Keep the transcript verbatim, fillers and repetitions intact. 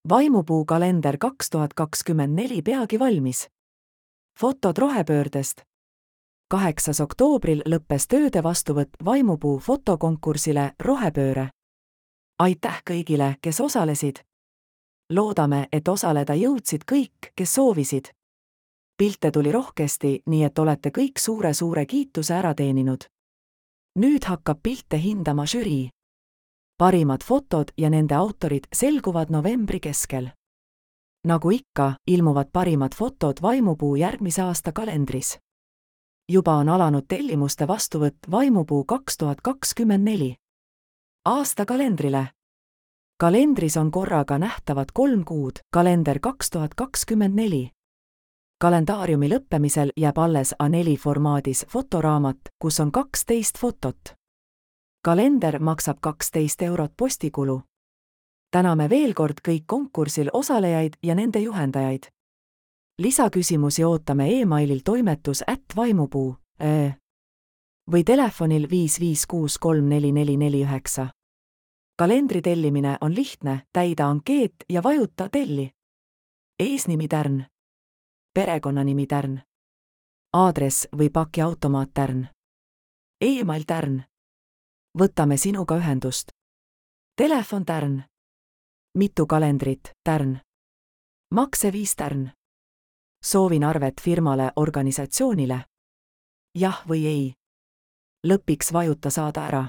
Vaimupuu kalender kaks tuhat kakskümmend neli peagi valmis. Fotod rohepöördest. kaheksas oktoobril lõppes tööde vastuvõtt Vaimupuu fotokonkursile Rohepööre. Aitäh kõigile, kes osalesid. Loodame, et osaleda jõudsid kõik, kes soovisid. Pilte tuli rohkesti, nii et olete kõik suure-suure kiituse ära teeninud. Nüüd hakkab pilte hindama žürii. Parimad fotod ja nende autorid selguvad novembri keskel. Nagu ikka, ilmuvad parimad fotod Vaimupuu järgmise aasta kalendris. Juba on alanud tellimuste vastuvõtt Vaimupuu kaks tuhat kakskümmend neli. Aasta kalendrile. Kalendris on korraga nähtavad kolm kuud, kalender kaks tuhat kakskümmend neli. Kalendaariumi lõppemisel jääb alles A neli formaadis fotoraamat, kus on kaksteist fotot. Kalender maksab kaksteist eurot postikulu. Täname veel kord kõik konkursil osalejaid ja nende juhendajaid. Lisaküsimusi ootame e-mailil toimetus at vaimupuu äh. või telefonil viis viis kuus kolm neli neli neli üheksa. Kalendri tellimine on lihtne, täida ankeet ja vajuta telli. Eesnimi Tärn. Perekonnanimi Tärn. Aadress või pakiautomaat Tärn. E-mail Tärn. Võtame sinuga ühendust. Telefon Tärn. Mitu kalendrit Tärn. Makseviis Tärn. Soovin arvet firmale, organisatsioonile. Jah või ei. Lõpiks vajuta saada ära.